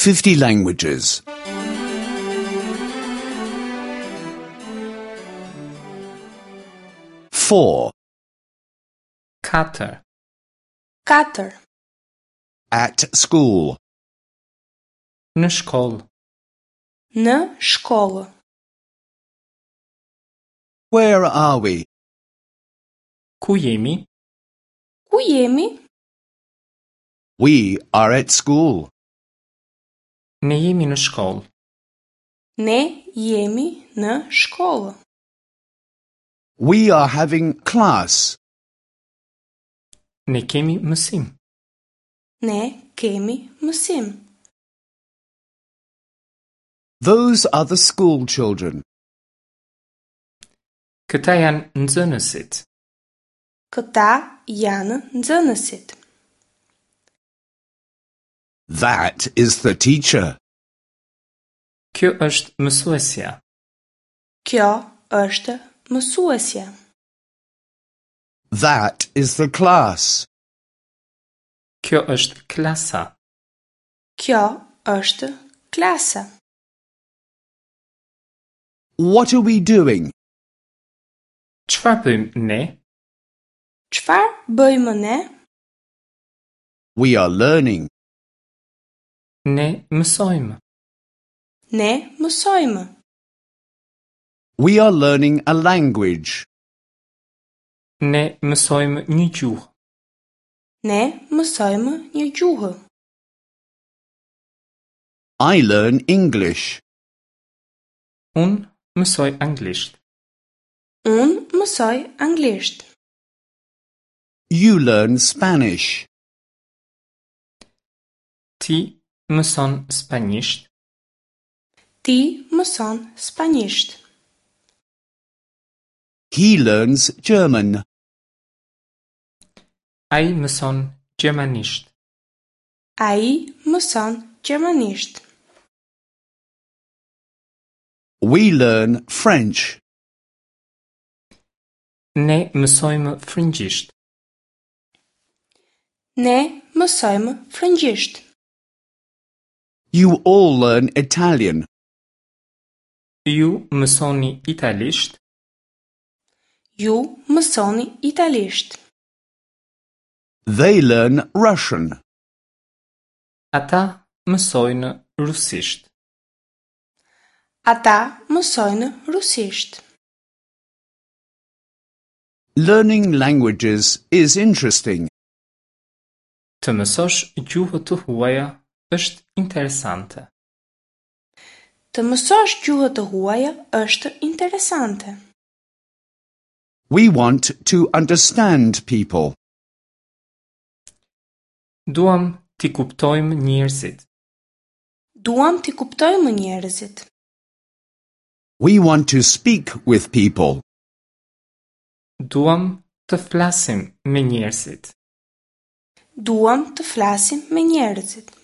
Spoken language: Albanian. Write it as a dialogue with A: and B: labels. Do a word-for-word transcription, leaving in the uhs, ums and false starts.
A: fifty languages. Four.
B: Katër.
C: Katër.
A: At school.
B: Në shkollë.
C: Në shkollë.
A: Where are we?
B: Ku jemi?
C: Ku jemi?
A: We are at school.
B: Ne jemi në shkollë.
C: Ne jemi në shkollë.
A: We are having class.
B: Ne kemi mësim.
C: Ne kemi mësim.
A: Those are the school children.
B: Këta janë nxënësit.
C: Këta janë nxënësit.
A: That is the teacher.
B: Kjo është mësuesja.
C: Kjo është mësuesja.
A: That is the class.
B: Kjo është klasa.
C: Kjo është klasa.
A: What are we doing?
B: Çfarë bëjmë ne?
C: Çfarë bëjmë ne?
A: We are learning.
B: Ne mësojmë.
C: Ne mësojmë.
A: We are learning a language.
B: Ne mësojmë një gjuhë.
C: Ne mësojmë një gjuhë.
A: I learn English.
B: Unë mësoj anglisht.
C: Unë mësoj anglisht.
A: You learn Spanish.
B: Ti mëson spanjisht.
C: Ti mëson spanjisht.
A: He learns German.
B: Ai mëson gjermanisht.
C: Ai mëson gjermanisht.
A: We learn French.
B: Ne mësojmë frëngjisht.
C: Ne mësojmë frëngjisht.
A: You all learn Italian.
B: Ju mësoni italisht.
C: Ju mësoni italisht.
A: They learn Russian.
B: Ata mësojnë rusisht.
C: Ata mësojnë rusisht.
A: Learning languages is interesting.
B: Të mësosh gjuhë të huaja është interesante.
C: Të mësosh gjuhë të huaja është interesante.
A: We want to understand people.
B: Duam t'i kuptojmë njerëzit.
C: Duam t'i kuptojmë njerëzit.
A: We want to speak with people.
B: Duam të flasim me njerëzit.
C: Duam të flasim me njerëzit.